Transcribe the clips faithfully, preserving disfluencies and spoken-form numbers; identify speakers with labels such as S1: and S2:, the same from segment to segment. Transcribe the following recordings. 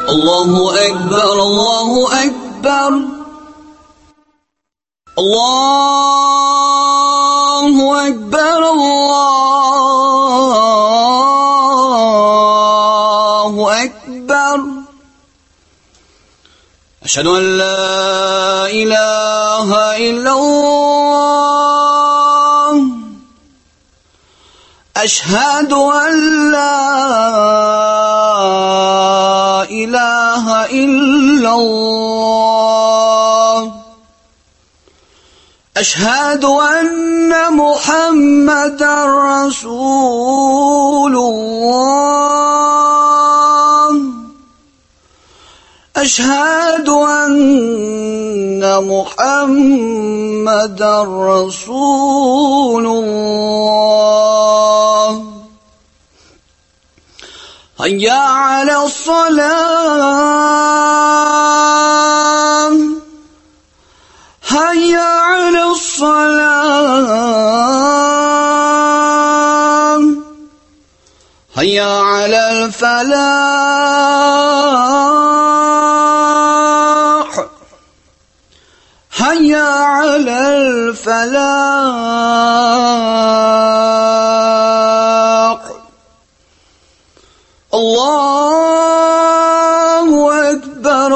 S1: الله أكبر الله أكبر الله أكبر الله أكبر أشهد أن لا إله إلا الله أشهد أن لا إله إلا الله أشهد أن محمدا رسول الله أشهد أن محمدا رسول الله هيا على الصلاة هيا على الصلاة هيا على الفلاح هيا على الفلاح الله أكبر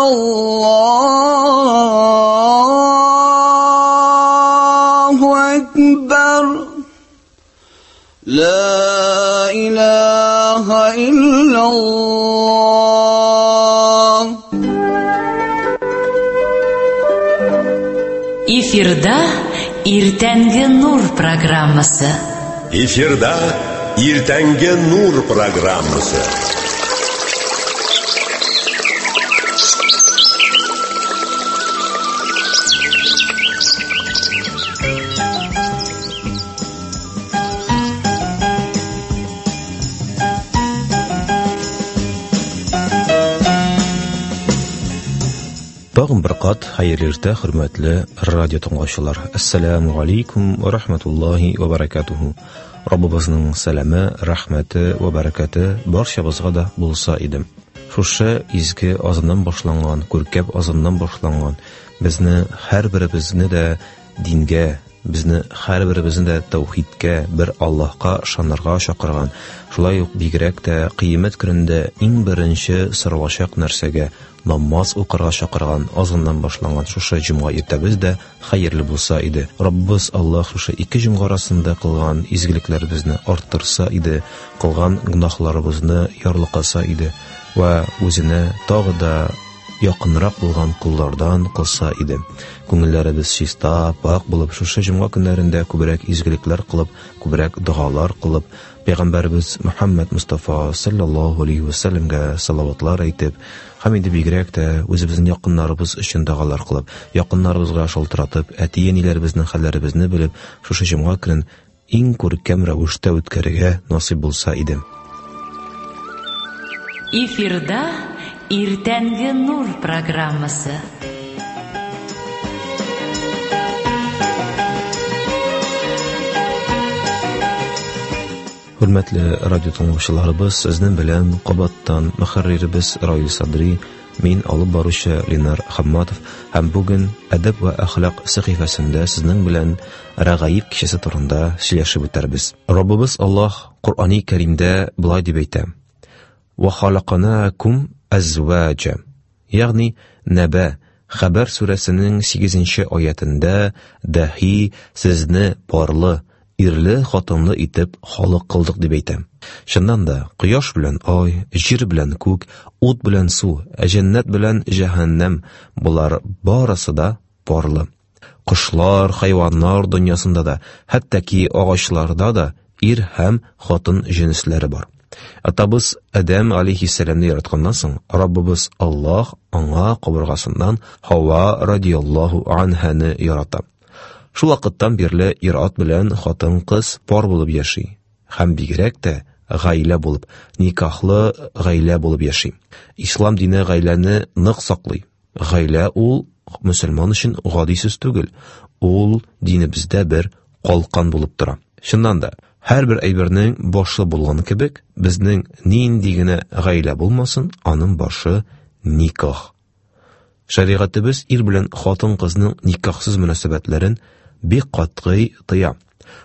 S1: الله أكبر لا إله إلا الله.
S2: Эфирда Иртәнге Нур программасы.
S3: Эфирда Иртәнге Нур программасы.
S4: Тагын бер кат хәерле иртә, хөрмәтле радио тыңлаучылар. Ассаламу алейкум ва рахматуллахи ва баракатуху. Раббыбызның сәламе, рәхмәте ва бәрәкәте барчабызга да булса иде. Шушы изге азаннан башланган, күркәм азаннан башланган, безне һәрберебезне дә дингә, безне һәрберебезне дә тәүхидкә, бер Аллаһка ышанырга чакырган, шулай ук бигрәк тә кыямәт көнендә иң беренче соралачак нәрсәгә намаз укырга чакырган азаннан башланган шушы җомга иртәбез дә хәерле булса иде. Раббыбыз Аллаһ шушы ике җомга арасында кылган изгелекләребезне арттырса иде, кылган гөнаһларыбызны ярлыкаса иде ва үзенә тагы да якынрак булган куллардан кылса иде. Күңелләребез чиста, пак булып, шушы җомга көннәрендә күбрәк изгелекләр кылып, күбрәк догалар кылып, Пәйгамбәребез Мөхәммәд Мустафа саллаллаһу алейхи ва сәлләмгә салаватлар әйтеп, һәм инде бигрәк тә үзебезнең якыннарыбыз өчен догалар кылып, якыннарыбызга шалтыратып, әти-әниләребезнең хәлләребезне белеп, шушы җомга көнен иң күркәм рәвештә үткәрергә насыйп булса иде.
S2: Эфирда Иртәнге Нур программасы.
S4: Хөрмәтле радио тыңлаучыларыбыз, сезнең белән кабаттан мөхәрриребез Раил Садри, мин алып баручы Ленар Хамматов һәм бүген әдәп ва әхлак сәхифәсендә сезнең белән Рәгаиб кичәсе турында сөйләшеп үтәрбез. Раббыбыз Аллаһ Коръәни Кәримдә болай дип әйтә: "Ва халакнакум әзваҗа", ягъни Нәбә Хәбәр сүрәсенең сигезенче аятында дәһи сезне парлы, ирле, хатынлы итеп халык кылдык дип әйтә. Чыннан да, кояш белән ай, җир белән күк, ут белән су, җәннәт белән җәһәннәм, болар барысы да парлы. Кошлар, хайваннар дөньясында да, хәтта ки агачларда да ир һәм хатын җенесләре бар. Атабыз Адәм алейхиссәламны яратканнан соң, Раббыбыз Аллаһ аңа кабыргасыннан Һава радияллаһу анһаны ярата. Шул вакыттан бирле ир-ат белән хатын-кыз пар булып яши һәм бигрәк тә гаилә булып, никахлы гаилә булып яши. Ислам дине гаиләне нык саклый. Гаилә ул мөселман өчен гади сүз түгел, ул динебездә бер калкан булып тора. Чыннан да, һәрбер әйбернең башы булган кебек, безнең нинди генә гаилә булмасын, аның башы никах. Шәригатебез ир белән хатын-кызның никахсыз мөнәсәбәтләрен бик катгый тыя.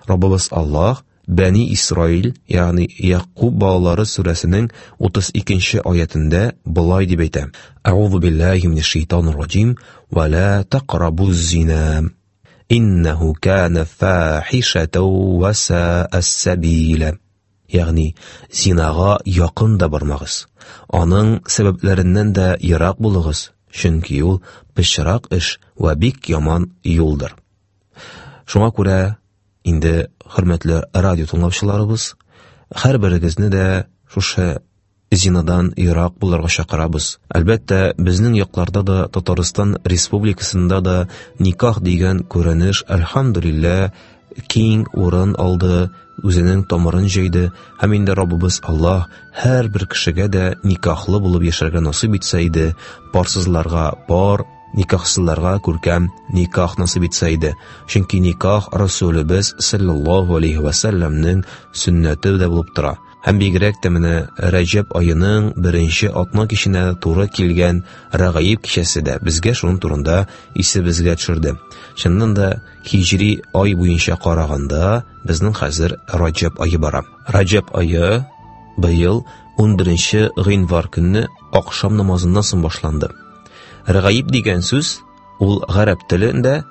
S4: Раббыбыз Аллаһ Бәни Исраил, ягъни Якуб балалары сүрәсенең утыз икенче аятендә болай дип әйтә: Әгъузу биллаһи минәш шайтанир раҗим, ва ла тaqrabuz зина, иннәһу кана фахишатан ва са'a сабила. Ягъни зинага якын да бармагыз, аның сәбәпләреннән дә ерак булыгыз, чөнки ул пычрак эш ва бик яман юлдыр. Шуңа күрә инде, хөрмәтле радио тыңлаучыларыбыз, һәр берегезне дә шушы зинадан ерак булырга чакырабыз. Әлбәттә, безнең якларда да, Татарстан Республикасында да никах дигән күренеш, әлхәмдүлилләһ, киң урын алды, үзенең тамырын җәйде, һәм инде Раббыбыз Аллаһ һәр бер кешегә дә никахлы булып яшәргә насыйп итсә иде, парсызларга пар, никахсызларга күркәм никах насыйп итсә иде. Чөнки никах Расулыбыз саллаллаһу алейһи ва сәлләмнең сөннәте дә булып тора. Һәм бигрәк тә менә Рәҗәб аеның беренче атна киченә туры килгән Рәгаиб кичәсе дә безгә шуның турында исебезгә төшерде. Чыннан да һиҗри ай буенча караганда безнең хәзер Рәҗәб ае бара. Рәҗәб ае быел ун беренче гыйнвар көнне ахшам намазыннан соң башланды. Рәгаиб дигән сүз ул гарәп телендә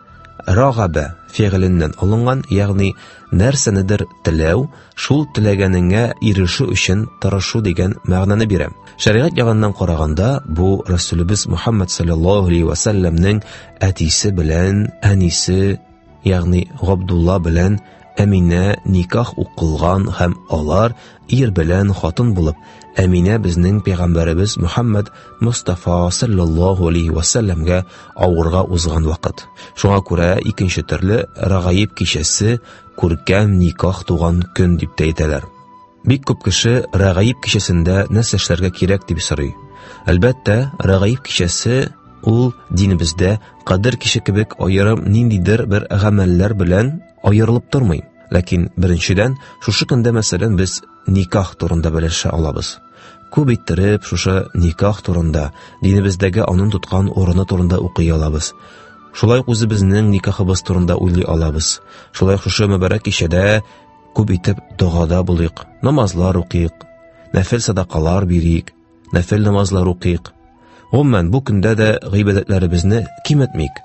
S4: рагабә фигыленнән алынган, ягъни нәрсәнедер теләү, шул теләгәнеңә ирешү өчен тырышу дигән мәгънәне бирә. Шәригать ягыннан караганда, бу Расулыбыз Мухаммад саллаллаһу алейһи ва сәлләмнең әтисе белән әнисе, ягъни Габдулла белән Әминә никах укылган һәм алар ир белән хатын булып, Әминә безнең пәйгамбәребез Мухаммад Мустафа саллаллаһу алейһи ва сәлләмгә авырга узган вакыт. Шуңа күрә икенче төрле Рәгаиб кичәсе күркәм никах туган көн дип тә әйтәләр. Бик күп кеше Рәгаиб кичәсендә нәрсә эшләргә кирәк дип сорый. Әлбәттә, Рәгаиб кичәсе ул динебездә Кадер киче кебек аерым ниндидер бер гамәлләр белән аерылып тормый. Ләкин беренчедән, шушы көндә, мәсәлән, без никах турында белешә алабыз. Күп иттереп шушы никах турында, динебездәге аның тоткан урыны турында укый алабыз. Шулай ук үзебезнең никахыбыз турында уйлый алабыз. Шулай ук шушы мөбарәк кичәдә күп итеп догада булыйк, намазлар укыйк, нәфил садакалар бирик, нәфил намазлар укыйк. Гомумән, бу көндә дә гыйбадәтләребезне киметмик.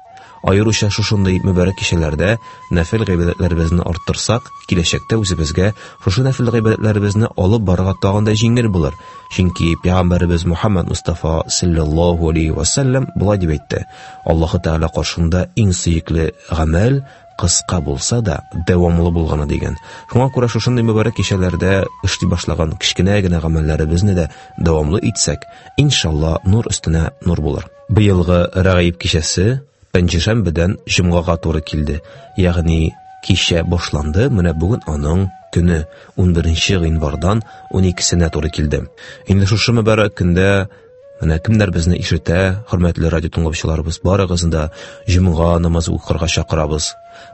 S4: Аеруча шушындый мөбарәк кичәләрдә нәфил гыйбадәтләребезне арттырсак, киләчәктә үзебезгә шушы нәфил гыйбадәтләребезне алып барырга тагын да җиңел булыр. Чөнки пәйгамбәребез Мухаммад Мустафа саллаллаһу алейһи ва сәлләм болай дип әйтте: Аллаһы Тәгалә каршында иң сөекле гамәл кыска булса да дәвамлы булганы дигән. Шуңа күрә шушындый мөбарәк кичәләрдә эшли башлаган кечкенә генә гамәлләребезне дә дәвамлы итсәк, иншалла нур өстенә нур булыр. Быелгы Рәгаиб кичәсе пәнҗешәмбедән җомгага туры килде. Ягъни кичә башланды, менә бүген аның көне ун беренче гыйнвардан ун икесенә туры килде. Инде шушы мөбарәк көндә менә кемнәр безне ишетә, хөрмәтле радио тыңлаучыларыбыз, барыгызны да җомга намазы укырга чакырабыз.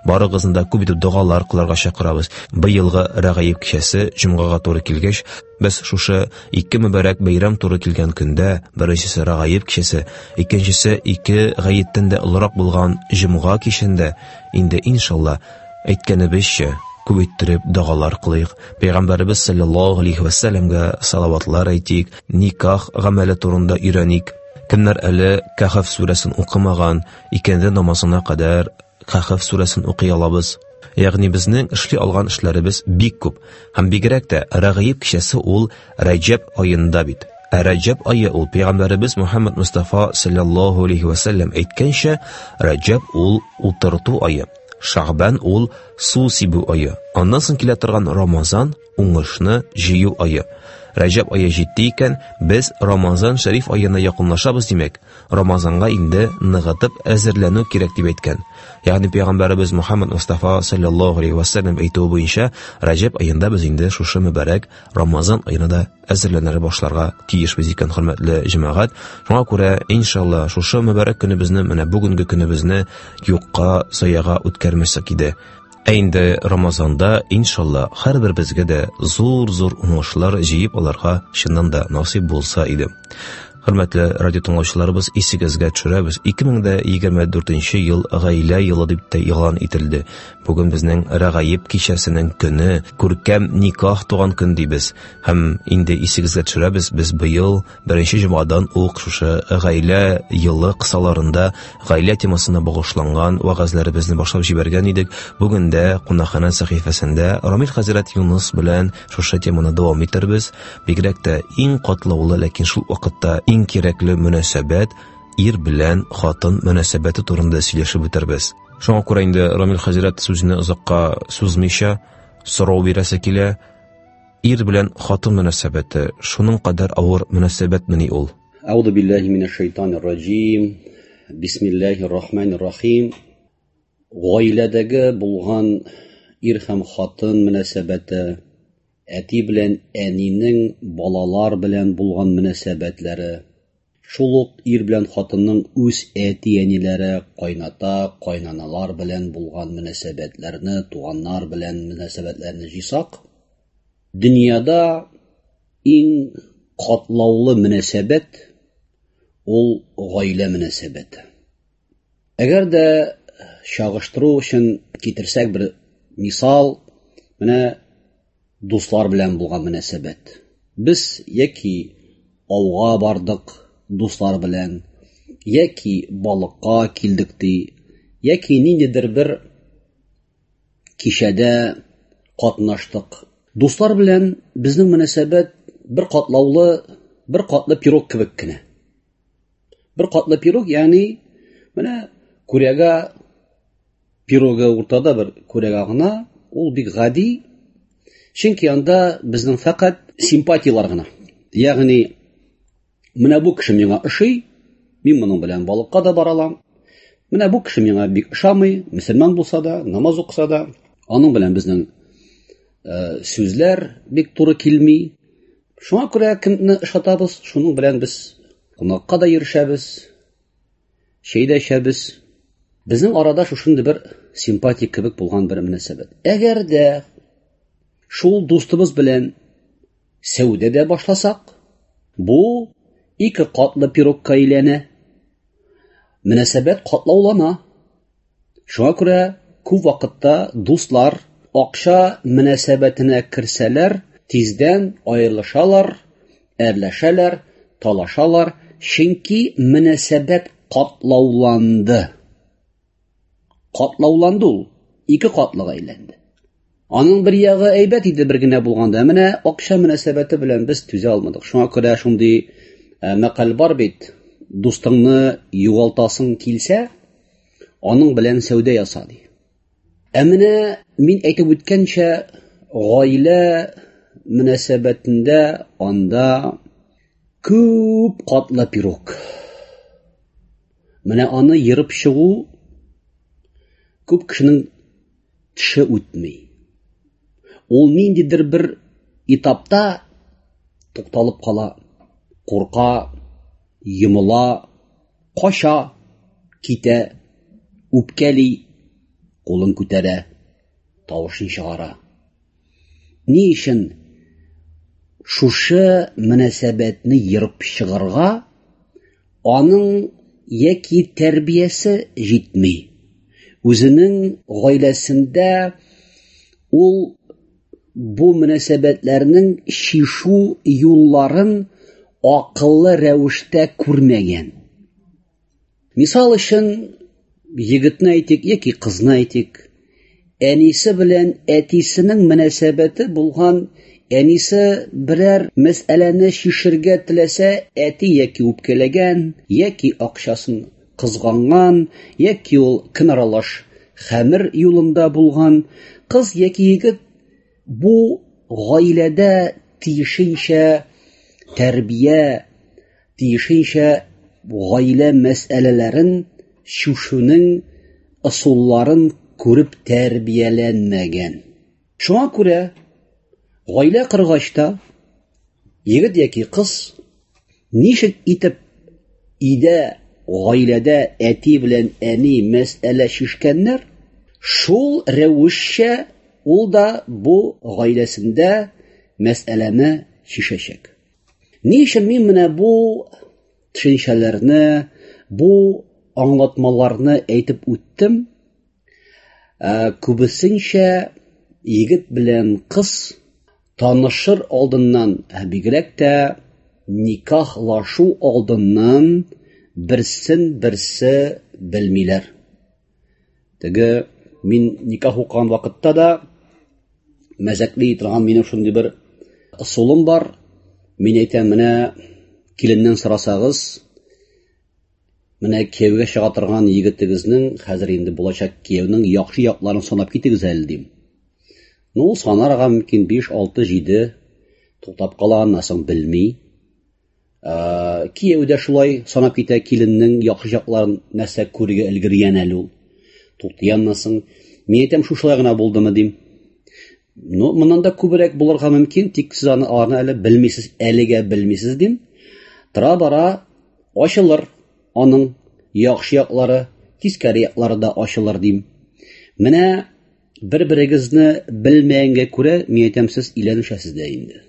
S4: Барыгызны да күп итеп догалар кылырга чакырабыз. Быелгы Рәгаиб кичәсе җомгага туры килгәч, без шушы ике мөбарәк бәйрәм туры килгән көндә, беренчесе Рәгаиб кичәсе, икенчесе ике гаеттән дә олырак булган җомга кичендә, инде иншалла әйткәнебезчә күп иттереп догалар кылыйк. Пәйгамбәребез саллаллаһу алейһи ва сәлләмгә салаватлар әйтик, никах гамәле турында өйрәник. Кемнәр әле Кәһф сүрәсен укымаган, икенде намазына кадәр Кәһф сүрәсен укый алабыз. Ягъни безнең эшли алган эшләребез бик күп. Һәм бигрәк тә Рәгаиб кичәсе ул Рәҗәб аенда бит. Ә Рәҗәб ае ул пәйгамбәребез Мухаммад Мустафа саллаллаһу алейһи ва сәлләм әйткәнчә, Рәҗәб ул утырту ае, Шәгъбан ул су сибү ае. Аннан соң килә торган Рамазан уңышны җыю ае. Рәҗәб ае җитте икән, без Рамазан шәриф аена якынлашабыз димәк. Рамазанга инде ныгытып әзерләнү кирәк дип әйткән. Ягъни пәйгамбәребез Мухаммад Мустафа саллаллаһу алейһи ва сәлләм әйтүе буенча Рәҗәб аенда без инде шушы мөбарәк Рамазан аена да әзерләнә башларга тиешбез икән, хөрмәтле җәмәгать. Шуңа күрә иншалла шушы мөбарәк көнебезне, менә бүгенге көнебезне юкка заяга үткәрмәсәк иде. Ә инде Рамазанда иншалла һәрбер безгә дә зур-зур уңышлар җыеп алырга чыннан да насыйп булса иде. Хөрмәтле радио тыңлаучыларыбыз, исегезгә төшерәбез, ике мең дә егерме дүртенче ел гаилә елы дип тә игълан ителде. Бүген безнең Рәгаиб кичәсенең көне, күркәм никах туган көн дибез. Һәм инде исегезгә төшерәбез, без быел беренче җомгадан ук шушы гаилә елы кысаларында гаилә темасына багышланган вәгазьләребезне башлап җибәргән идек. Бүген дә кунакханә сәхифәсендә Рамил хәзрәт Юныс белән шушы теманы дәвам итербез. Бигрәк тә иң катлаулы, ләкин шул вакытта иң кирәкле мөнәсәбәт ир белән хатын мөнәсәбәте турында сөйләшеп үтербез. Шуңа күрә инде Рамил хәзрәт сүзне озакка сузмыйча сорау бирәсе килә. Ир белән хатын мөнәсәбәте шуның кадәр авыр мөнәсәбәтмени ул?
S5: Әүзу биллаһи минәш шайтанир раҗим. Бисмиллаһир рахманир рахим. Гаиләдәге булган ир һәм хатын мөнәсәбәте, әти белән әнинең балалар белән булган мөнәсәбәтләре, шул ук ир белән хатынның үз әти-әниләре, кайната, кайнаналар белән булган мөнәсәбәтләрне, туганнар белән мөнәсәбәтләрне җыйсак, дөньяда иң катлаулы мөнәсәбәт ул гаилә мөнәсәбәте. Әгәр дә чагыштыру өчен китерсәк бер мисал, менә дуслар белән булган мөнәсәбәт. Без яки ауга бардык дуслар белән, яки балыкка килдек ди, яки ниндидер бер кичәдә катнаштык. Дуслар белән безнең мөнәсәбәт бер катлаулы, бер катлы пирог кебек кенә. Бер катлы пирог, ягъни менә күрәгә пирогы уртада бер күрәгә гына, ул бик гади, чөнки анда безнең фәкать симпатиялар гына. Ягъни менә бу кеше миңа ошый, мин моның белән балыкка да бара алам. Менә бу кеше миңа бик ошамый, мөселман булса да, намаз укыса да, аның белән безнең, э, сүзләр бик туры килми. Шуңа күрә кемне ошатабыз, шуның белән без кунакка да йөрешәбез, чәй дә эчәбез. Безнең арада шушындый бер симпатия кебек булган бер мөнәсәбәт. Әгәр дә шул дустыбыз белән сәүдә дә башласак, бу ике катлы пирогка әйләнә. Мөнәсәбәт катлаулана. Шуңа күрә күп вакытта дуслар акча мөнәсәбәтенә керсәләр, тиздән аерылышалар, әрләшәләр, талашалар, чөнки мөнәсәбәт катлауланды. Катлауланды ул, ике катлыга әйләнде. Аның бер ягы әйбәт иде бер генә булганда, менә акча мөнәсәбәте белән без түзә алмадык. Шуңа күрә шундый, э, мәкаль бар бит: дустыңны югалтасың килсә, аның белән сәүдә яса ди. Ә менә мин әйтеп үткәнчә, гаилә мөнәсәбәтендә анда күп катлы пирог. Менә аны ерып чыгу күп кешенең теше үтми. Ул ниндидер бер этапта тукталып кала, курка, йомыла, кача, китә, үпкәли, кулын күтәрә, тавышын чыгара. Ни өчен шушы мөнәсәбәтне ерып чыгарга аның яки тәрбиясе җитми. Үзенең гаиләсендә ул бу мөнәсәбәтләрнең чишү юлларын акыллы рәвештә күрмәгән. Мисал өчен, егетне әйтик яки кызны әйтик, әнисе белән әтисенең мөнәсәбәте булган, әнисе берәр мәсьәләне чишергә теләсә, әти яки үпкәләгән, яки акчасын кызганган, яки ул көн аралаш хәмер юлында булган, кыз яки егет бу гаиләдә тиешенчә тәрбия, тиешенчә гаилә мәсьәләләрен чишүнең ысулларын күреп тәрбияләнмәгән. Шуңа күрә гаилә коргач та егет яки кыз ничек итеп өйдә, гаиләдә әти белән әни мәсьәлә чишкәннәр, шул рәвешчә ул да бу гаиләсендә мәсьәләне чишәчәк. Ни өчен мин менә бу төшенчәләрне, бу аңлатмаларны әйтеп үттем. Ә, күбесенчә егет белән кыз танышыр алдыннан, ә бигрәк тә никахлашу алдыннан берсен берсе белмиләр. Теге мин никах укыган вакытта да мәзәкли торган минем шундый бер ысулым бар. Мин әйтәм, менә киленнән сорасагыз, менә кияүгә чыга торган егетегезнең, хәзер инде булачак кияүнең яхшы якларын санап китегез әле дим. Ну, ул санарга мөмкин биш, алты, җиде туктап кала, аннан соң белми. Ә, кияү дә шулай санап китә киленнең яхшы якларын, нәрсә күрергә өлгергән әле ул. Туктый аннан соң. Мин әйтәм, шушылай гына булдымы дим. Ну, моннан да күбрәк булырга мөмкин, тик сез аны аларны әле белмисез, әлегә белмисез дим. Тора-бара ачылыр аның яхшы яклары, тискәре яклары да ачылыр дим. Менә бер-берегезне белмәгәнгә күрә, мин әйтәм, сез өйләнешәсез дә инде.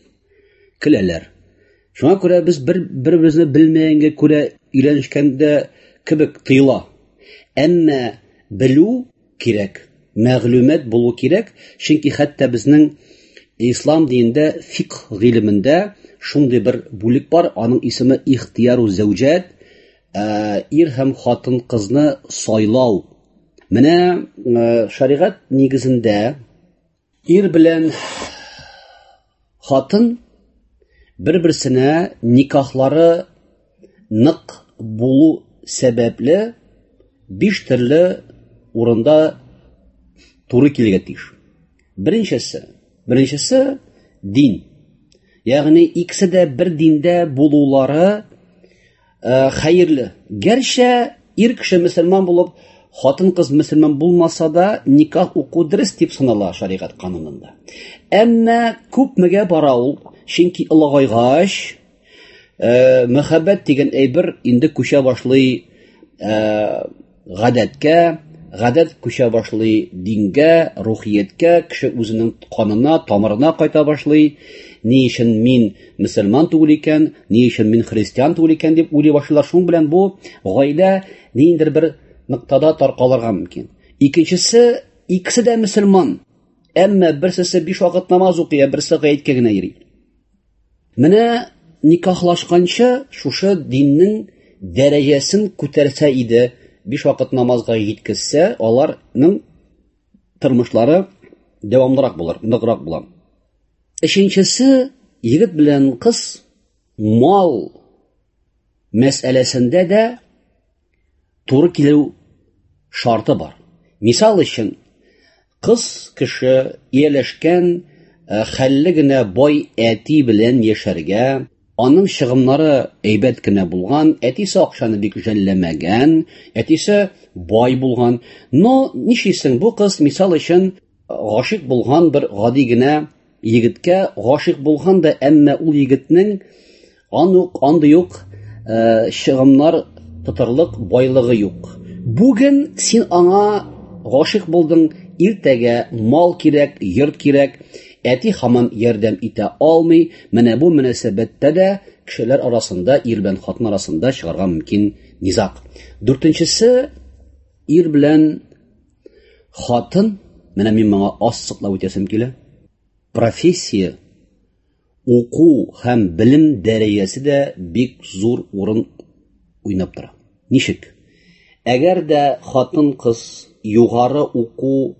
S5: Көләләр. Шуңа күрә без бер бер-беребезне белмәгәнгә күрә өйләнешкәндә кебек тыела. Әмма белү кирәк, мәгълүмат булу кирәк, чөнки хәтта безнең ислам динендә фикх гыйлемендә шундый бер бүлек бар, аның исеме ихтияру зәүҗәт, ир һәм хатын кызны сайлау. Менә шәригать нигезендә ир белән хатын бер-берсенә никахлары нык булу сәбәпле биш төрле урында туры килергә тиеш. Беренчесе, беренчесе дин. Ягъни икесе дә бер диндә булулары хәерле. Гәрчә ир кеше мөселман булып, хатын кыз мөселман булмаса да, никах уку дөрес дип санала шәригать канунында. Әмма күпмегә бара ул, чөнки олыгайгач, мәхәббәт дигән әйбер инде күчә башлый гадәткә, гадәт күчә башлый дингә, рухияткә, кеше үзенең канына, тамырына кайта башлый. Ни өчен мин мөселман түгел икән, ни өчен мин христиан түгел икән дип уйлый башлыйлар. Шуның белән бу гаилә ниндидер бер ноктада таркалырга мөмкин. Икенчесе, икесе дә мөселман, әмма берсесе биш вакыт намаз укый, ә берсе гаеткә генә йөри. Менә никахлашканчы шушы диннең дәрәҗәсен күтәрсә иде, биш вакыт намазга җиткезсә, аларның тормышлары дәвамлырак булыр, ныграк була. Өченчесе, егет белән кыз мал мәсьәләсендә дә туры килү шарты бар. Мисал өчен, кыз кеше ияләшкән хәлле генә бай әти белән яшәргә, аның чыгымнары әйбәт кенә булган, әтисе акчаны бик жәлләмәгән, әтисе бай булган. Но нишлисең, бу кыз мисал өчен гашыйк булган бер гади генә егеткә гашыйк булган да, әмма ул егетнең анук андый юк чыгымнар тотарлык байлыгы юк. Бүген син аңа гашыйк булдың, иртәгә мал кирәк, йорт кирәк, әти һаман ярдәм итә алмый. Менә бу мөнәсәбәттә дә кешеләр арасында, ир белән хатын арасында чыгарга мөмкин низаг. Дүртенчесе, ир белән хатын, менә мин моңа ассыклап үтәсем килә. Профессия, уку һәм белем дәрәҗәсе дә бик зур урын уйнап тора. Ничек? Әгәр дә хатын-кыз югары уку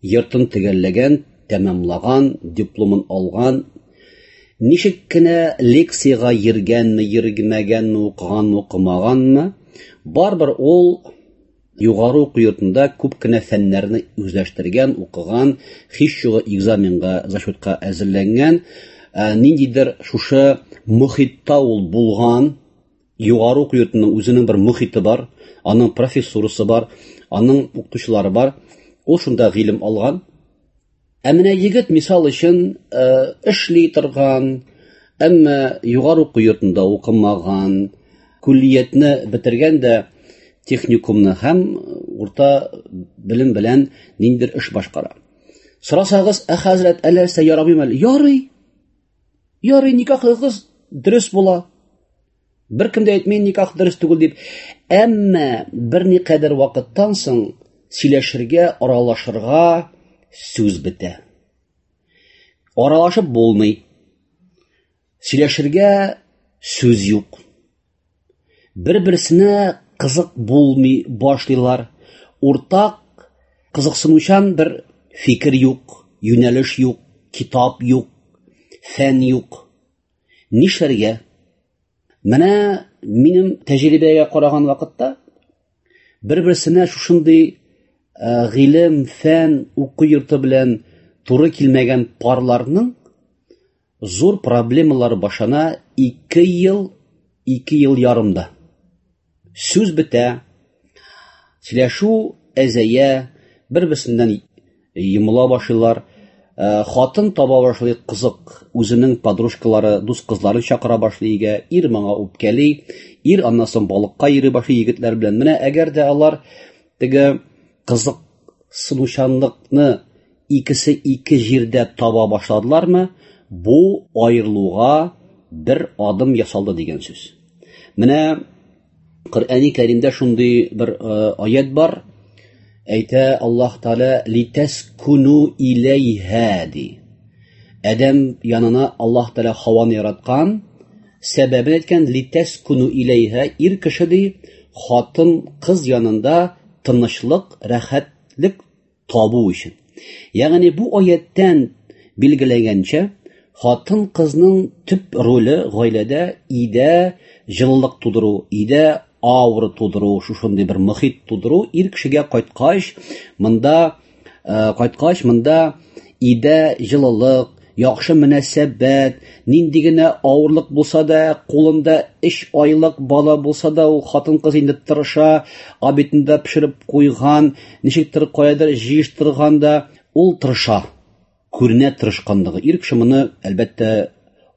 S5: йортын төгәлләгән, тәмамлаган, дипломын алган, ничек кенә лекциягә йөргәнме, йөрмәгәнме, укыганмы, укымаганмы, барыбер ул югары уку йортында күп кенә фәннәрне үзләштергән, укыган, һич югы экзаменга, зачетка әзерләнгән, ниндидер шушы мохитта ул булган. Югары уку йортының үзенең бер мохите бар, аның профессурасы бар, аның укытучылары бар. Ул шунда гыйлем алган. Ә менә егет мисал өчен эшли торган, әмма югары уку йортында укымаган, күллиятне бетергән дә техникумны һәм урта белем белән ниндидер эш башкара. Сорасагыз, ә хәзрәт, әллә ярамыймы әле? Ярый. Ярый, никахлы кыз дөрес була. Бер кем дә әйтми никах дөрес түгел дип. Әмма берникадәр вакыттан соң сөйләшергә, аралашырга сүз бетә. Аралашып булмый. Сөйләшергә сүз юк. Бер-берсенә кызык булмый башлыйлар. Уртак кызыксынучан бер фикер юк, юнәлеш юк, китап юк, фән юк. Нишләргә? Менә минем тәҗрибәгә караган вакытта бер-берсенә шушындый гыйлем, фән, уку йорты белән туры килмәгән парларның зур проблемалары башлана ике ел, ике ел ярымда. Сүз бетә, сөйләшү әзәя, бер-берсеннән йомыла башлыйлар. Хатын таба башлый кызык, үзенең подружкалары, дус кызларын чакыра башлый өйгә, ир моңа үпкәли, ир аннан соң балыкка йөри башлый егетләр белән. Менә әгәр дә алар теге кызыксынучанлыкны икесе ике җирдә таба башладылармы, бу аерылуга бер адым ясалды дигән сүз. Менә Коръәни Кәримдә шундый бер аят бар. Әйтә Аллаһ Тәгалә литаскуну иләйһа ди. Адәм янына Аллаһ Тәгалә Хаваны яраткан, сәбәбен әйткән литаскуну иләйһа, ир кеше ди, хатын кыз янында тынычлык, рәхәтлек табу өчен. Ягъни бу аяттан билгеләгәнчә, хатын кызның төп роле гаиләдә өйдә җылылык тудыру, өйдә аура тудыру, шушындый бер мохит тудыру. Ир кешегә кайткач, монда кайткач, монда өйдә җылылык, яхшы мөнәсәбәт, нинди генә авырлык булса да, кулында өч айлык бала булса да, ул хатын-кыз инде тырыша, обедында пешереп куйган, ничектер каядыр җыештырган да, ул тырыша. Күренә тырышканлыгы. Ир кеше моны әлбәттә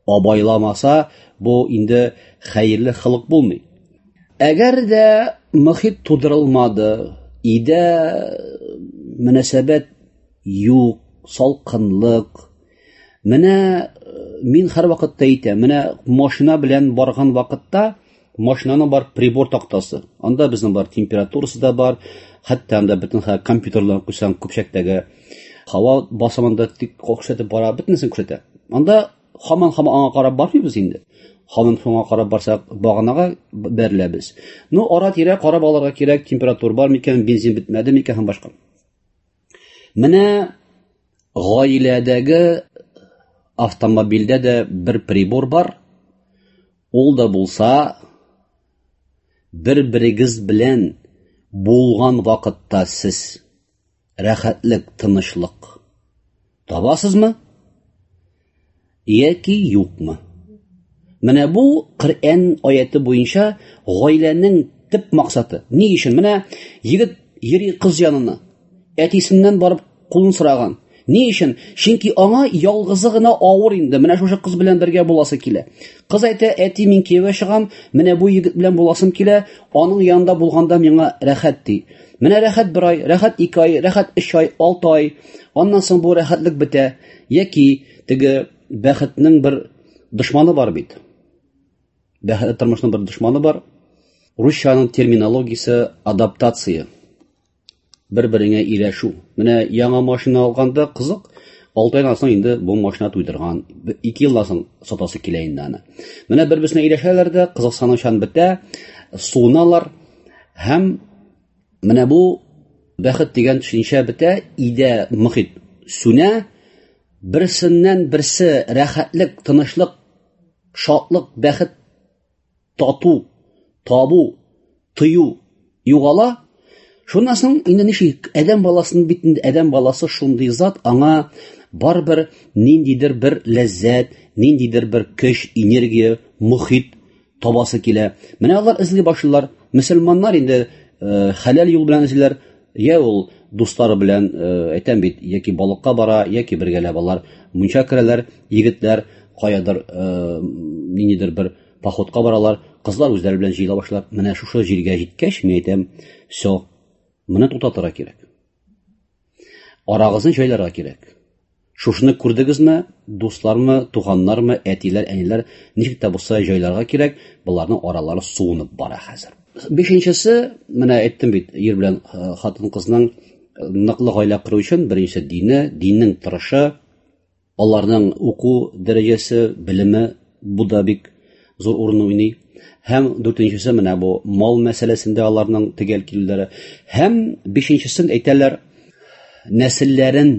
S5: абайламаса, бу инде хәерле холык булмый. Әгәр дә мохит тудырылмады, өйдә мөнәсәбәт юк, салкынлык. Менә мин һәр вакытта әйтәм, менә машина белән барган вакытта машинаның бар прибор тактасы. Анда безнең бар температурасы да бар, хәтта анда бөтен компьютерлар куйсаң, көпчәктәге һава басымында тик күрсәтеп бара, бөтенесен күрсәтә. Анда һаман-һаман аңа карап бармыйбыз инде. Һаман шуңа карап барсак, баганага бәреләбез. Ну, ара-тирә карап алырга кирәк, температура бар микән, бензин бетмәде микән һәм башка. Менә гаиләдәге автомобильдә дә бер прибор бар. Ул да булса, бер-берегез белән булган вакытта сез рәхәтлек, тынычлык табасызмы яки юкмы? Менә бу Коръән аяты буенча гаиләнең төп максаты. Ни өчен? Менә егет йөри кыз янына, әтисеннән барып кулын сораган. Ни өчен? Чөнки аңа ялгызы гына авыр инде. Менә шушы кыз белән бергә буласы килә. Кыз әйтә, әти, мин кияүгә чыгам, менә бу егет белән буласым килә, аның янында булганда миңа рәхәт ди. Менә рәхәт бер ай, рәхәт ике ай, рәхәт өч ай, алты ай. Аннан соң бу рәхәтлек бетә. Яки теге бәхетнең бер дошманы бар бит. Бәхетле тормышның бер дошманы бар. Русчаның терминологиясе адаптация. Бер-береңә ияләшү. Менә яңа машина алганда кызык, алты айдан соң инде бу машина туйдырган, ике елдан соң сатасы килә инде аны. Менә бер-берсенә ияләшәләр дә, кызыксынучан бетә, суыналар һәм менә бу бәхет дигән төшенчә бетә, өйдә мохит сүнә, берсеннән берсе рәхәтлек, тынычлык, шатлык, бәхет, тату, табу, тою югала. Шуннан соң инде ничек адәм баласының бит инде адәм баласы шундый зат, аңа барыбер ниндидер бер ләззәт, ниндидер бер көч, энергия, мохит табасы килә. Менә алар эзли башлыйлар. Мөселманнар инде хәләл юл белән эзлиләр. Я ул дуслары белән, әйтәм бит, яки балыкка бара, яки бергәләп алар мунча керәләр, егетләр каядыр ниндидер бер походка баралар, кызлар үзләре белән җыела башлар. Менә шушы җиргә җиткәч, мин әйтәм, всё, моны туктатырга кирәк. Арагызны җайларга кирәк. Шушыны күрдегезме, дуслармы, туганнармы, әтиләр, әниләр, ничек тә булса җайларга кирәк, боларның аралары суынып бара хәзер. Бишенчесе, менә әйттем бит, ир белән хатын-кызның ныклы гаилә кору өчен беренче дине, диннең тырышы, аларның уку дәрәҗәсе, белеме, бу да бик зур урын уйный. Һәм дүртенчесе менә бу мал мәсьәләсендә аларның төгәл килүләре. Һәм бишенчесен әйтәләр, нәселләрен,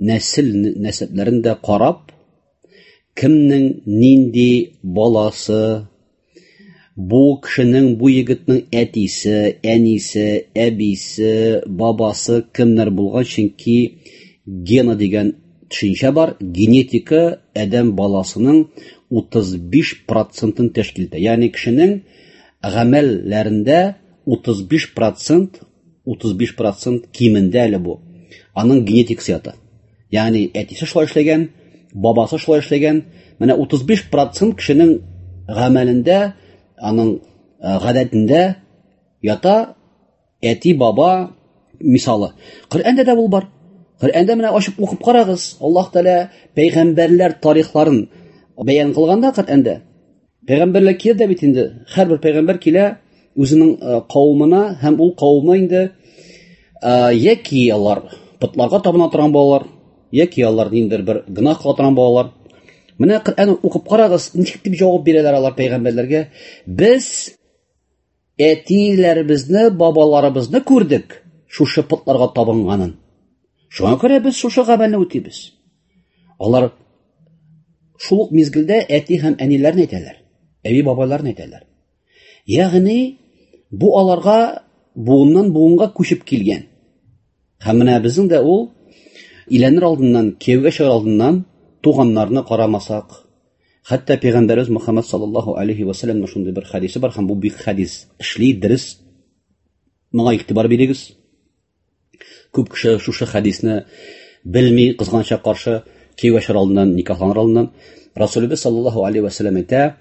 S5: нәсел нәсәпләрен дә карап, кемнең нинди баласы, бу кешенең, бу егетнең әтисе, әнисе, әбисе, бабасы кемнәр булган, чөнки гена дигән төшенчә бар, генетика адәм баласының утыз биш процентын тәшкил итә. Ягъни кешенең гамәлләрендә утыз биш процент, утыз биш процент кимендә әле бу. Аның генетикасы ята. Ягъни әтисе шулай эшләгән, бабасы шулай эшләгән. Менә утыз биш процент кешенең гамәлендә, аның гадәтендә ята әти, баба мисалы. Коръәндә дә бу бар. Коръәндә менә ачып укып карагыз. Аллаһ Тәгалә пәйгамбәрләр тарихларын бәян кылганда Коръәндә пәйгамбәрләр килә дә бит инде. Һәрбер пәйгамбәр килә үзенең кавымына һәм ул кавымы инде яки алар потларга табына торган балалар, яки алар ниндидер бер гөнаһ кыла торган балалар. Менә Коръән укып карагыз, ничек дип җавап бирәләр алар пәйгамбәрләргә? Без әтиләребезне, бабаларыбызны күрдек шушы потларга табынганын. Шуңа күрә без шушы гамәлне үтибез. Алар шул ук мизгелдә әти һәм әниләрне әйтәләр, әби бабайларны әйтәләр. Ягъни бу аларга буыннан буынга күчеп килгән. Һәм менә безнең дә ул иләнер алдыннан, кияүгә чыгар алдыннан туганнарны карамасак, хәтта пәйгамбәребез Мөхәммәд саллаллаһу алейхи ва саллямның шундый бер хадисе бар, һәм бу бик хадис эшли, дөрес. Моңа игътибар бирегез. Күп кеше шушы хадисне белми, кызганычка каршы, кияүгә чыгар алдыннан, никахланыр алдыннан Расулыбыз саллаллаһу алейхи ва саллям әйтә: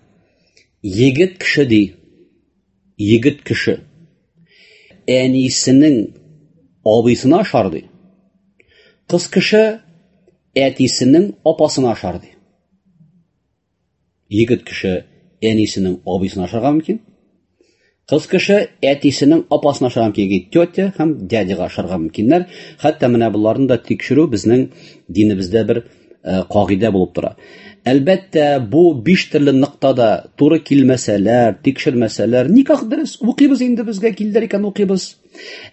S5: егет кеше ди, егет кеше әнисенең абыйсына ашар ди, кыз кеше әтисенең апасына ашар ди. Егет кеше әнисенең абыйсына ашарга мөмкин, кыз кеше әтисенең апасына ашарга мөмкин, тетя һәм дядяга ашарга мөмкиннәр. Хәтта менә боларны да тикшерү безнең динебездә бер кагыйдә булып тора. Әлбәттә, бу биш төрле ноктада туры килмәсәләр, тикшермәсәләр, никах дөрес, укыйбыз инде, безгә килдер икән укыйбыз.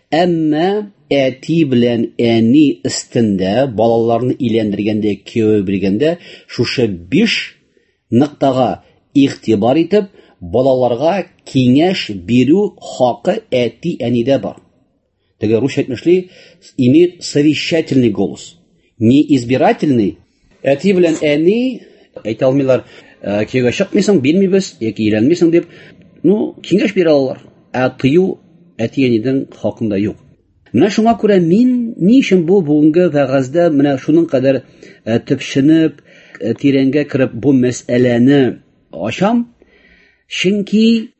S5: Әмма әти белән әни өстендә балаларны иләндергәндә, кияүгә биргәндә шушы биш ноктага игътибар итеп, балаларга киңәш бирү хакы әти-әнидә бар. Теге русча әйтмешли, имеет совещательный голос, не избирательный. Әти белән әни әйтә алмыйлар, кияүгә чыкмыйсың, бирмибез яки өйләнмисең дип, ну, киңәш бирә алалар. Ә тыю әти-әнидең хакында юк. Менә шуңа күрә мин ни өчен бу бүгенге вәгазьдә менә шуның кадәр төпченеп, тирәнгә кереп бу мәсьәләне ачам? Чөнки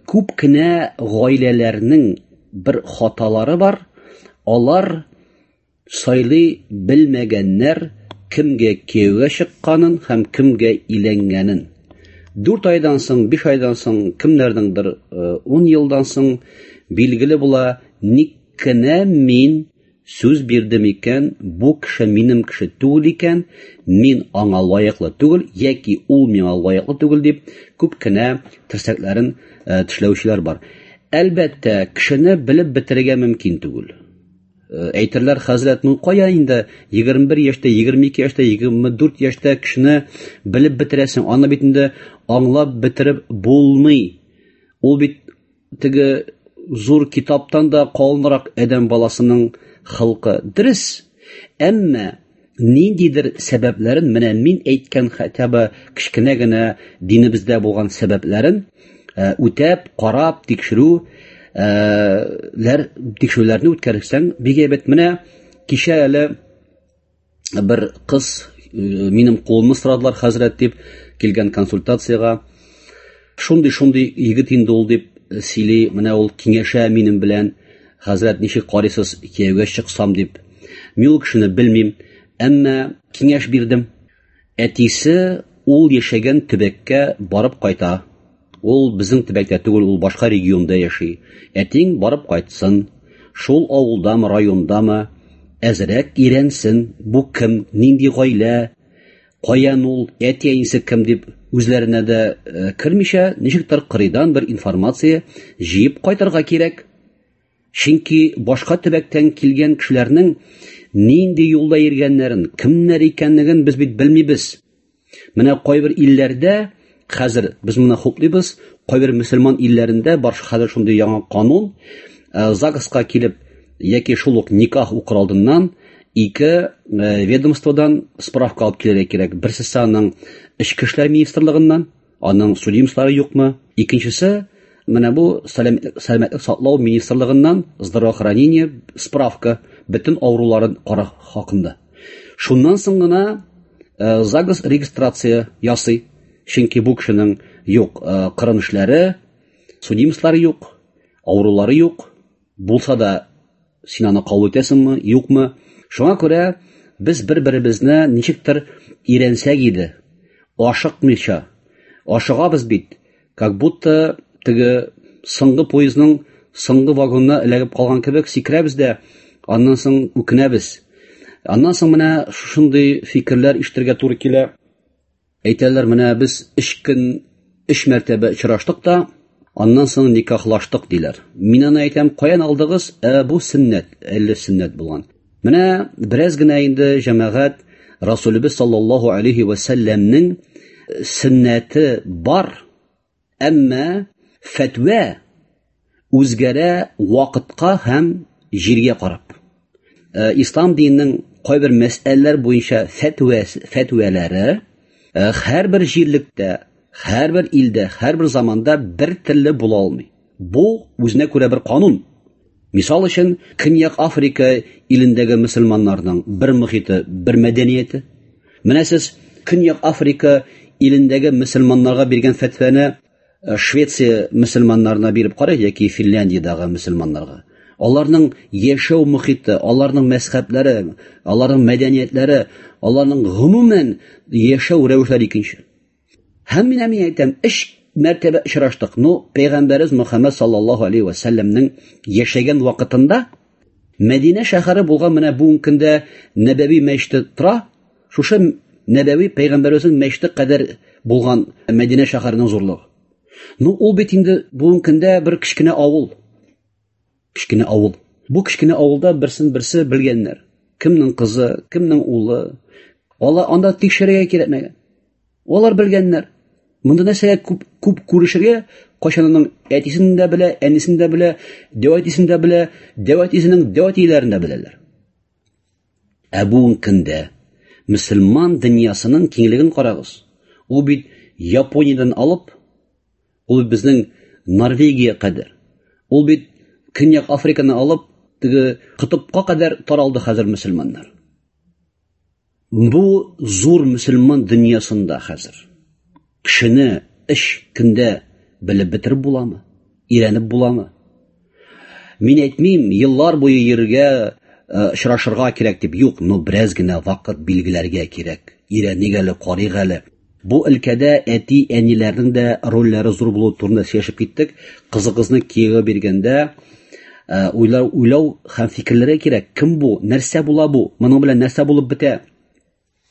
S5: күп кенә гаиләләрнең бер хаталары бар. Алар сайлый белмәгәннәр кемгә кияүгә чыкканын һәм кемгә өйләнгәнен. Дүрт айдан соң, биш айдан соң, кемнәрнеңдер ун елдан соң билгеле була, ник кенә мин сүз бирдем икән, бу кеше минем кеше түгел икән, мин аңа лаеклы түгел, яки ул миңа лаеклы түгел дип күп кенә терсәкләрен тешләүчеләр бар. Әлбәттә, кешене белеп бетерергә мөмкин түгел. Әйтерләр, хәзрәт, ну кая инде егерме бер яшьтә, егерме ике яшьтә, егерме дүрт яшьтә кешене белеп бетерәсең, аны бит инде аңлап бетереп булмый. Ул бит теге зур китаптан да калынрак адәм баласының халкы. Дөрес, әмма ниндидер сәбәпләрен, менә мин әйткән хотя бы кечкенә генә динебездә булган сәбәпләрен үтәп, карап, тикшерү ләр, тикшерүләрне үткәрсәң бик әйбәт. Менә кичә әле бер кыз минем кулымны сорадылар, хәзрәт дип килгән консультациягә. Шундый-шундый егет инде ул дип сөйли, менә ул киңәшә минем белән, хәзрәт, ничек карыйсыз, кияүгә чыксам дип. Мин ул кешене белмим, Әмма киңәш бирдем. Әтисе ул яшәгән төбәккә барып кайта. Ул безнең төбәктә түгел, ул башка регионда яши. Әтиң барып кайтсын, шул авылдамы, райондамы, әзрәк өйрәнсен, бу кем, нинди гаилә, каян ул, әти-әнисе кем дип үзләренә дә кермичә, ничектер кырыйдан бер информация җыеп кайтырга кирәк. Чөнки башка төбәктән килгән кешеләрнең нинди юлда йөргәннәрен, кемнәр икәнлеген без бит белмибез. Менә кайбер илләрдә хәзер без моны хуплыйбыз, кайбер мөселман илләрендә бар хәзер шундый яңа канун, ЗАГСка килеп яки шул ук никах укыр алдыннан ике ведомстводан справка алып килергә кирәк. Берсесе аның Эчке эшләр министрлыгыннан, аның судимослары юкмы? Икенчесе менә бу сәламәтлек саклау министрлыгыннан здравоохранение справка бөтен авыруларын карау хакында. Шуннан соң гына ЗАГС регистрация ясый. Чөнки бу кешенең юк кырын эшләре, судимослары юк, авырулары юк. Булса да син аны кабул итәсеңме, юкмы? Шуңа күрә без бер-беребезне ничектер өйрәнсәк иде, ашыкмыйча. Ашыгабыз бит, как будто теге соңгы поездның соңгы вагонына эләгеп калган кебек сикерәбез дә, аннан соң үкенәбез. Аннан соң менә шушындый фикерләр ишетергә туры килә. Әйтәләр, менә без өч көн, өч мәртәбә очраштык та, аннан соң никахлаштык диләр. Мин аны әйтәм, каян алдыгыз? Ә бу сөннәт, әллә сөннәт булган. Менә бераз генә инде җәмәгать Расулыбыз саллаллаһу алейхи ва сәлләмнең сөннәте бар, әмма фәтвә үзгәрә вакытка һәм җиргә карап. Ислам диненең кайбер мәсьәләләр буенча фәтвә, фәтвәләре һәрбер җирлектә, һәрбер илдә, һәрбер заманда бер төрле була алмый. Бу үзенә күрә бер канун. Мисал өчен, Көньяк Африка илендәге мөселманнарның бер мөхите, бер мәдәнияте. Менә сез Көньяк Африка илендәге мөселманнарга биргән фәтвәне Швеция мөселманнарына биреп карый яки Финляндиядәге мөселманнарга. Аларның яшәү мөхите, аларның мәзһәбләре, аларның мәдәниятләре, аларның гомумән яшәү рәвешләре икенче. Һәм менә мин әйтәм, өч мәртәбә очраштык. Ну, Пәйгамбәребез Мөхәммәд саллаллаһу алейхи ва сәлләмнең яшәгән вакытында Мәдинә шәһәре булган менә бүгенге көндә Нәбәви мәчете тора. Шушы Нәбәви пәйгамбәребезнең мәчете кадәр булган Мәдинә шәһәренең зурлыгы. Ну, ул бит инде бүгенге көндә бер кечкенә авыл. Кечкенә авыл. Бу кечкенә авылда берсен берсе белгәннәр. Кемнең кызы, кемнең улы. Алар анда тикшерергә кирәкмәгән. Алар белгәннәр. Монда нәрсәгә күп, күп күрешергә, кайчан аның әтисен дә белә, әнисен дә белә, дәү әтисен дә белә, дәү әтисенең дәү әтиләрен дә беләләр. Ә бүгенге көндә мөселман дөньясының киңлеген карагыз. Ул бит Япониядән алып, ул бит безнең Норвегия кадәр. Ул бит Көньяк Африканы алып, теге Котыпка кадәр таралды хәзер мөселманнар. Бу зур мөселман дөньясында хәзер кешене өч көндә белеп бетереп буламы? Өйрәнеп буламы? Мин әйтмим, еллар буе йөрергә, очрашырга кирәк дип, юк, но бераз генә вакыт билгеләргә кирәк. Өйрәник әле, карыйк әле. Бу өлкәдә әти-әниләрнең дә рольләре зур булуы турында сөйләшеп киттек. Кызыгызны кияүгә биргәндә, уйлау, уйлау һәм фикерләргә кирәк. Кем бу? Нәрсә була бу? Моның белән нәрсә булып бетә?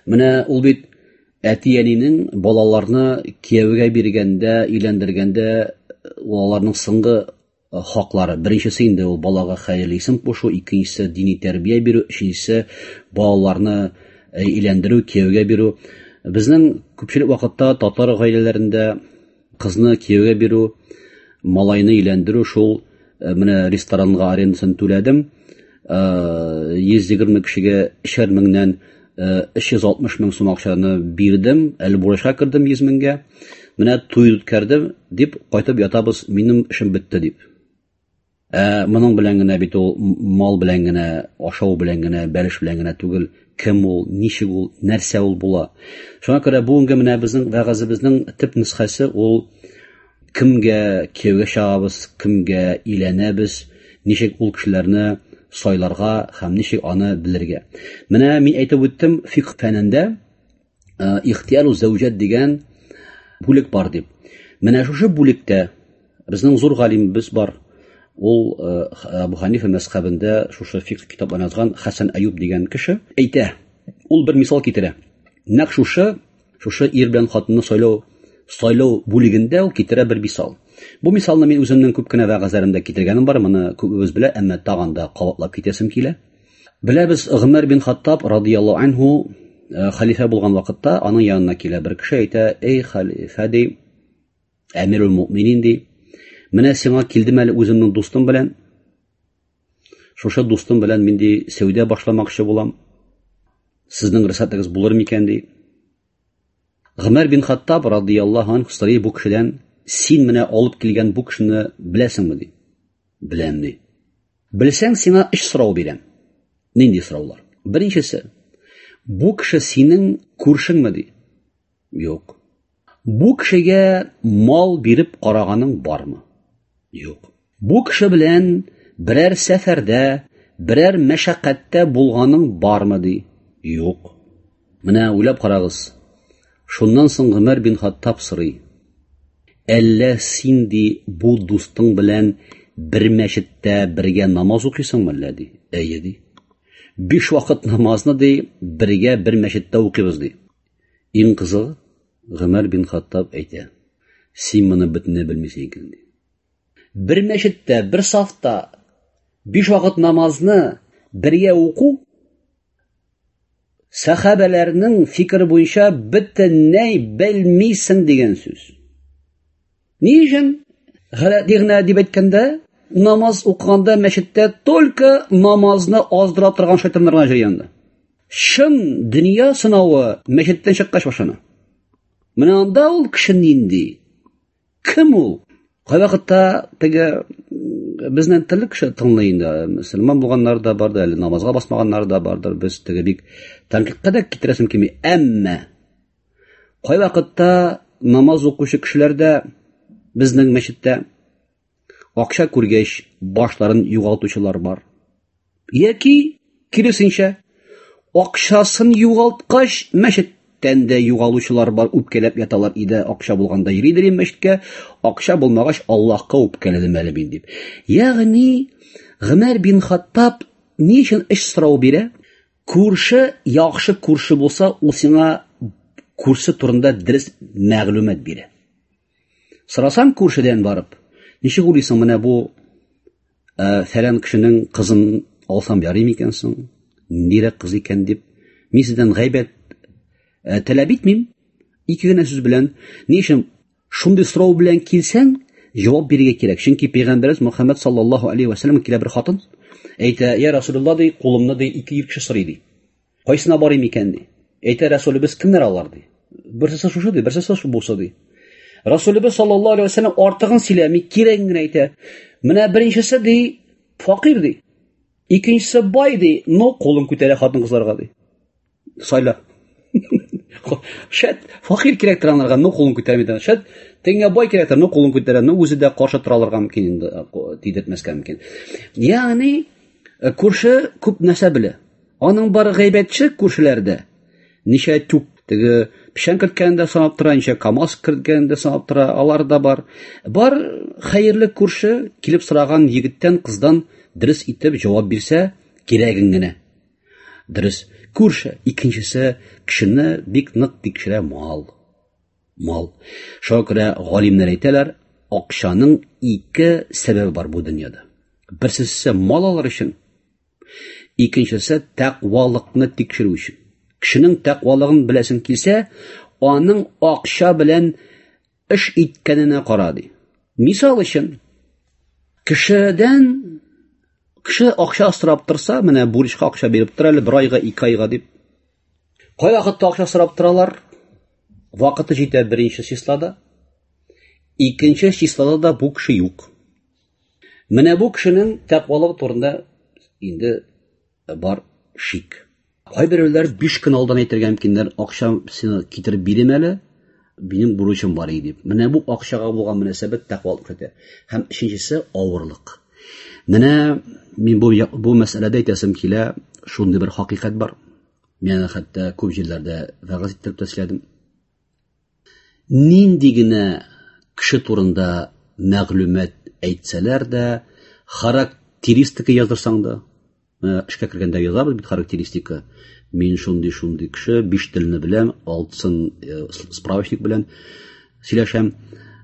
S5: Менә ул бит әти-әнинең балаларны кияүгә биргәндә, өйләндергәндә аларның соңгы хаклары. Беренчесе инде ул балага хәерле исем кушу, икенчесе дини тәрбия бирү, өченчесе балаларны өйләндерү, кияүгә бирү. Безнең күпчелек вакытта татар гаиләләрендә кызны кияүгә бирү, малайны өйләндерү шул менә ресторанга арендасын түләдем, йөз егерме кешегә өчәр меңнән өч йөз алтмыш мең сум акчаны бирдем, әле бурычка кердем йөз меңгә. Менә туй үткәрдем дип кайтып ятабыз, минем эшем бетте дип. Ә моның белән генә бит ул мал белән генә, ашау белән генә, бәлеш белән генә түгел, кем ул, ничек ул, нәрсә ул була. Шуңа күрә бүгенге менә безнең вәгазебезнең төп нөсхәсе ул кемгә кияүгә чыгабыз, кемгә өйләнәбез, ничек ул кешеләрне сайларга һәм ничек аны белергә. Менә мин әйтеп үттем, фикх фәнендә ихтияру зәүҗәт дигән бүлек бар дип. Менә шушы бүлектә безнең зур галимебез бар. Ул Абу Ханифа мәзхәбендә шушы фикх китапларын язган Хәсән Аюб дигән кеше әйтә. Ул бер мисал китерә. Нәкъ шушы, шушы ир белән хатынны сайлау, сайлау бүлегендә ул китерә бер мисал. Бу мисалны мин үземнең күп кенә вәгазьләремдә китергәнем бар, моны күбебез белә, әмма тагын да кабатлап китәсем килә. Беләбез, Гомәр бин Хаттаб радияллаһу анһу хәлифә булган вакытта аның янына килә бер кеше, әйтә: "Эй хәлифә, ди, әмирул муъминин, ди, менә сиңа килдем әле үземнең дустым белән. Шушы дустым белән мин, ди, сәүдә башламакчы булам. Сезнең рөхсәтегез булыр микән, ди. Гомәр бин Хаттаб радияллаһу анһу сорый бу кешедән: "Син менә алып килгән бу кешене беләсеңме?" ди. "Беләм", ди. "Белсәң, сиңа өч сорау бирәм." Нинди сораулар? Беренчесе: бу кеше синең күршеңме, ди? Юк. Бу кешегә мал биреп караганың бармы? Юк. Бу кеше белән берәр сәфәрдә, берәр мәшәкатьтә булганың бармы, ди? Юк. Менә уйлап карагыз. Шуннан соң Гомәр бин Хаттаб сорый: "Әллә син, ди, бу дустың белән бер мәчеттә бергә намаз укыйсыңмы әллә?" ди. "Әйе", ди. "Биш вакыт намазны, ди, бергә бер мәчеттә укыйбыз", ди. Иң кызыгы, Гомәр бин Хаттаб әйтә: "Син моны бөтенләй белмисең икән", ди. Бер мәчеттә, бер сафта биш вакыт намазны бергә уку сәхабәләрнең фикере буенча бөтенләй белмисең дигән сүз. Ни өчен? Галәти генә дип әйткәндә, намаз укыганда мәчеттә только намазны аздыра торган шайтаннар гына йөри анда. Чын дөнья сынавы мәчеттән чыккач башлана. Менә анда ул кеше нинди? Кем ул? Кайвакытта теге безнең төрле кеше тыңлый инде. Мөселман булганнар да бар, әле намазга басмаганнар да бардыр. Без теге бик тәнкыйтькә дә китерәсем килми. Әмма кайвакытта намаз укучы кешеләр дә безнең мәчеттә акча күргәч башларын югалтучылар бар. Яки киресенчә, акчасын югалткач мәчеттән дә югалучылар бар, үпкәләп яталар иде, акча булганда йөридер мәчеткә, акча булмагач Аллаһка үпкәләдем әле мин дип. Ягъни Гомәр бин Хаттаб ни өчен өч сорау бирә? Күрше яхшы күрше булса, ул сиңа күрше турында дөрес мәгълүмат бирә. Сорасаң күршедән барып, ничек уйлыйсың, менә бу фәлән кешенең кызын алсам ярый микән соң? Ниндирәк кыз икән дип, мин сездән гайбәт таләп итмим. Ике генә сүз белән. Ни өчен шундый сорау белән килсәң, җавап бирергә кирәк. Чөнки пәйгамбәребез Мөхәммәд саллаллаһу алейһи ва сәлләм килә бер хатын, әйтә: "Я Расулуллаһ, ди, кулымны, ди, ике ир кеше сорый, ди. Кайсына барыйм икән, ди. Әйтә Расулыбыз: кемнәр алар, ди. Берсе шушы, ди, берсе шу булса, ди. Расулыбыз саллаллаһу алейһи ва сәлләм артыгын сөйләми, кирәген генә әйтә. Менә беренчесе, ди, факир, ди. Икенчесе бай, ди, но кулын күтәрә хатын-кызларга, ди. Сайла. Шәт факир кирәктер аларга, но кулын күтәрми. Шәт теңгә бай кирәктер, но кулын күтәрә, но үзе дә каршы тора алырга мөмкин инде, тидертмәскә мөмкин. Ягъни күрше күп нәрсә белә. Аның бар гайбәтче күршеләрдә. Ничә түк теге печән керткәндә санап тора, ничә КАМАЗ керткәндә санап тора, алар да бар. Бар хәерле күрше килеп сораган егеттән, кыздан дөрес итеп җавап бирсә, кирәген генә. Дөрес. Күрше. Икенчесе кешене бик нык тикшерә мал. Мал. Шуңа күрә галимнәр әйтәләр, акчаның ике сәбәбе бар бу дөньяда. Берсесе мал алыр өчен, икенчесе тәкъвалыкны тикшерү өчен. Кешенең тәкъвалыгын беләсең килсә, аның акча белән эш иткәненә кара, ди. Мисал өчен, кешедән кеше акча сорап торса, менә бурычка акча биреп тора әле бер айга, ике айга дип. Кай вакытта акча сорап торалар? Вакыты җитә беренче числода, икенче числода да бу кеше юк. Менә бу кешенең тәкъвалыгы турында инде бар шик. Кайберәүләр биш көн алдан әйтергә мөмкиннәр, акча сине китереп бирим әле, минем бурычым бар иде дип. Менә бу акчага булган мөнәсәбәт тәкъвалык итә. Һәм өченчесе авырлык. Менә Мин бу бу мәсьәләдә әйтәсем килә, шундый бер хакыйкать бар. Мин хәтта күп җирләрдә вәгазь иттереп тә сөйләдем. Нинди генә кеше турында мәгълүмат әйтсәләр дә, характеристика яздырсаң да, эшкә кергәндә язабыз бит характеристика. Мин шундый-шундый кеше, биш телне беләм, алтысын справочник белән сөйләшәм,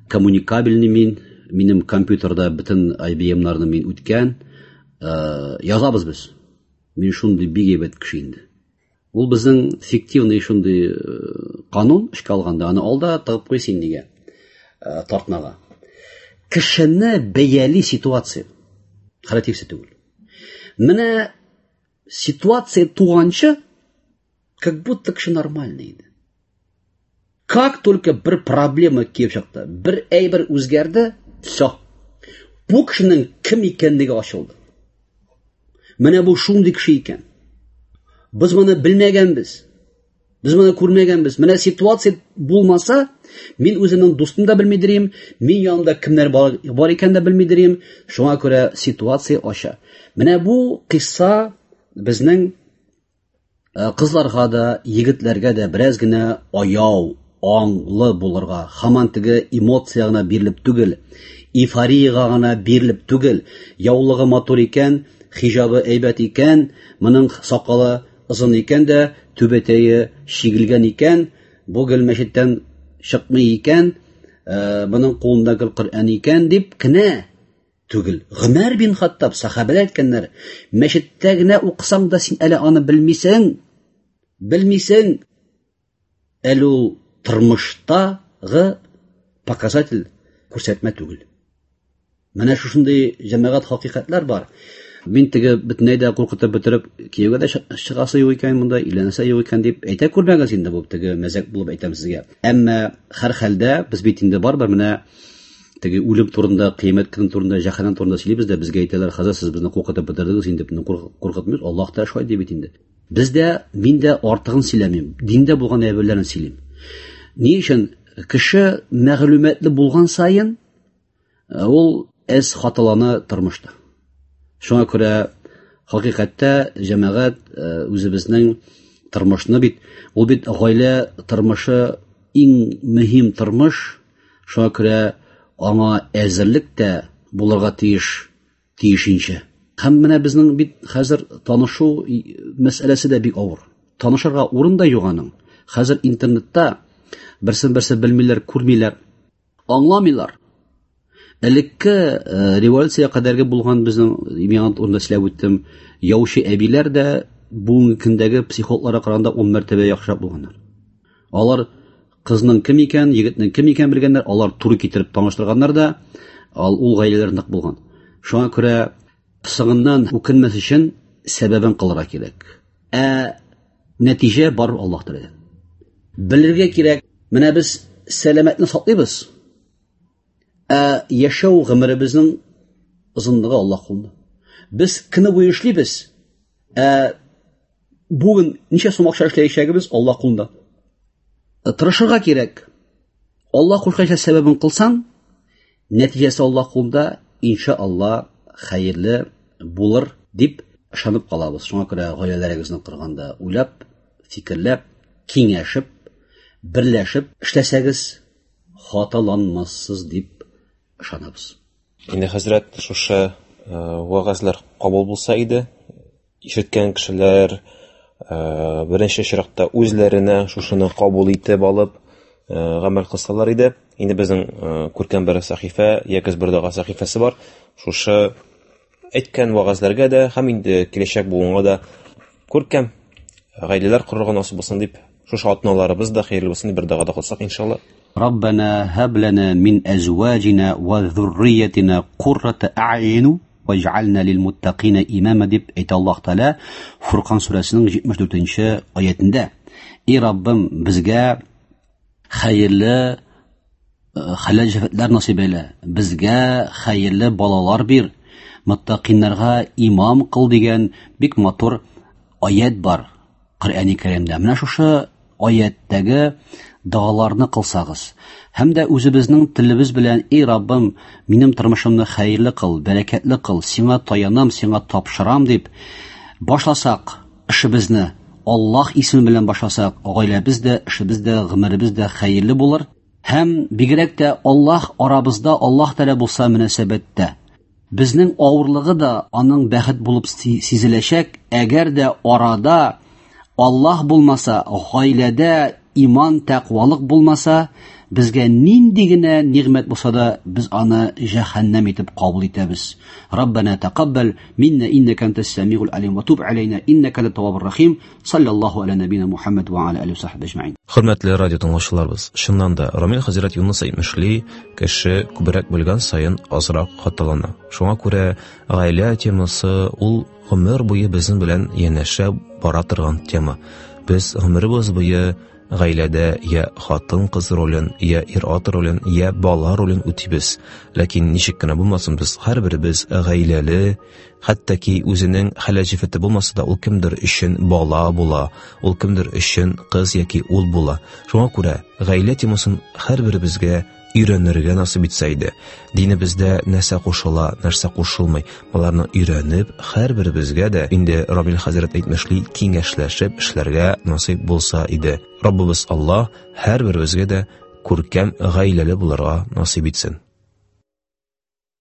S5: коммуникабельный мин, минем компьютерда бөтен ай би эм-нарны мин үткән, язабыз без. Мин шундый бик әйбәт кеше инде. Ул безнең фиктивный шундый канун эшкә алганда, аны алда тыгып куй син нигә, тартмага. Кешене бәяли ситуация, характеристика түгел. Менә ситуация туганчы, как будто кеше нормальный иде. Как только бер проблема килеп чыкты, бер әйбер үзгәрде, всё. Бу кешенең кем икәнлеге ачылды. Менә бу шундый кеше икән. Без моны белмәгәнбез. Без моны күрмәгәнбез. Менә ситуация булмаса, мин үземнең дустым да белмидерим, мин янымда кемнәр бар, бар икән дә белмидерим. Шуңа күрә ситуация ача. Менә бу кыйсса безнең кызларга да, егетләргә дә бераз генә аяу, аңлы булырга, һаман теге эмоция гына бирелеп түгел, эйфорияга гына бирелеп түгел, яулыгы матур икән, хиҗабы әйбәт икән, моның сакалы озын икән дә, түбәтәе чигелгән икән, бу гел мәчеттән чыкмый икән, моның кулында гел Коръән икән дип кенә түгел. Гомәр бин Хаттаб сахабәләр әйткәннәр, мәчеттә генә укысаң да син әле аны белмисең, белмисең. Әле ул тормыштагы показатель күрсәтмә түгел. Менә шушындый җәмәгать хакыйкатьләр бар. Мин теге бөтенләй дә куркытып бетереп, кияүгә дә чыгасы юк икән монда, өйләнәсе юк икән дип әйтә күрмәгез инде, бу теге мәзәк булып әйтәм сезгә. Әмма һәр хәлдә без бит инде барыбер менә теге үлем турында, кыямәт көне турында, җәһәннәм турында сөйлибез дә, безгә әйтәләр, хәзер сез безне куркытып бетердегез инде, безне куркытмыйбыз, Аллаһ та шулай ди бит инде. Без дә, мин дә артыгын сөйләмим, диндә булган әйберләрне сөйлим. Ни өчен кеше мәгълүматлы булган саен ул әз хаталана тормышта. Шуңа күрә хакыйкатьтә җәмәгать үзебезнең тормышны бит, ул бит гаилә тормышы иң мөһим тормыш, шуңа күрә аңа әзерлек тә булырга тиеш, тиешенчә. Һәм менә безнең бит хәзер танышу мәсьәләсе дә бик авыр. Танышырга урын да юк аның. Хәзер интернетта берсен-берсе белмиләр, күрмиләр, аңламыйлар. Элекке революция кадәрге булган безнең, миңа урында сөйләп үттем, яучы әбиләр дә бүгенге көндәге психологларга караганда ун мәртәбә яхшырак булганнар. Алар кызның кем икән, егетнең кем икән белгәннәр, алар туры китереп таныштырганнар да, ул гаиләләр нык булган. Шуңа күрә соңыннан үкенмәс өчен сәбәбен кылырга кирәк. Ә нәтиҗә бар Аллаһ Тәгаләдән. Белергә кирәк, менә без сәламәтне саклыйбыз. Ә яшәү гомеребезнең озынлыгы Аллаһ кулында. Без көне буе эшлибез. Ә бүген ничә сум акча эшләячәгебез Аллаһ кулында. Тырышырга кирәк. Аллаһ кушканча сәбәбен кылсаң, нәтиҗәсе Аллаһ кулында, иншалла хәерле булыр дип ышанып калабыз. Шуңа күрә гаиләләрегезне корганда уйлап, фикерләп, киңәшеп, берләшеп эшләсәгез, хаталанмассыз дип ышанабыз.
S4: Инде хәзрәт, шушы вәгазьләр кабул булса иде, ишеткән кешеләр беренче чиратта үзләренә шушыны кабул итеп алып гамәл кылсалар иде. Инде безнең күркәм бер сәхифә, Ягез бер дога сәхифәсе бар. Шушы әйткән вәгазьләргә дә һәм инде киләчәк буынга да күркәм гаиләләр корырга насыйп булсын дип, шушы атналарыбыз да хәерле булсын дип бер дога да кылсак иншалла.
S5: Раббана һаб лана мин азваҗина ва зурриятина куррата а'юн ваҗ'ална лил муттақина имама дип әйтә Аллаһ Тәгалә Фуркан сүрәсенең җитмеш дүртенче аятендә. Эй Раббым, безгә хәерле хәләл җефетләр насыйп әйлә, безгә хәерле балалар бир, муттақиннарга имам кыл дигән бик матур аят бар Коръәни Кәримдә. Менә шушы аяттәге догаларны кылсагыз, һәм дә үзебезнең телебез белән: "Эй Раббым, минем тормышымны хәерле кыл, бәрәкәтле кыл, сиңа таянам, сиңа тапшырам" дип башласак эшебезне, Аллаһ исеме белән башласак, гаиләбез дә, эшебез дә, гомеребез дә хәерле булыр. Һәм бигрәк тә Аллаһ арабызда, Аллаһ Тәгалә булса мөнәсәбәттә, безнең авырлыгы да аның бәхет булып сизеләчәк. Әгәр дә арада Аллаһ булмаса, гаиләдә иман, тәкъвалык булмаса, безгә нинди генә нигъмәт булса да, без аны җәһәннәм итеп кабул итәбез. Раббана тақаббал минна иннака антас самиул алим ва туб алейна иннака ат-таввабур рахим. Саллаллаху аля набина Мухаммад ва аля алихи ва сахби ажмаин.
S4: Хөрмәтле радио тыңлаучыларыбыз, чыннан да Рамил хәзрәт Юныс әйтмешли, кеше күбрәк белгән саен азрак хаталана. Шуңа күрә гаилә темасы ул гомер буе безнең белән янәшә бара торган тема. Без гомеребез буе гаиләдә я хатын-кыз ролен, я ир-ат ролен, я бала ролен үтибез. Ләкин ничек кенә булмасын, без һәрберебез гаиләле, хәтта ки үзенең хәләл җефете булмаса да, ул кемдер өчен бала була, ул кемдер өчен кыз яки ул була. Шуңа күрә гаилә темасын һәрберебезгә өйрәнергә насыйп итсә иде. Динебездә нәрсә кушыла, нәрсә кушылмый, боларны өйрәнеп, һәрберебезгә дә инде Рамил хәзрәт әйтмешли, киңәшләшеп эшләргә насыйп булса иде. Раббыбыз Аллаһ һәрберебезгә дә күркәм гаиләле булырга насыйп итсен.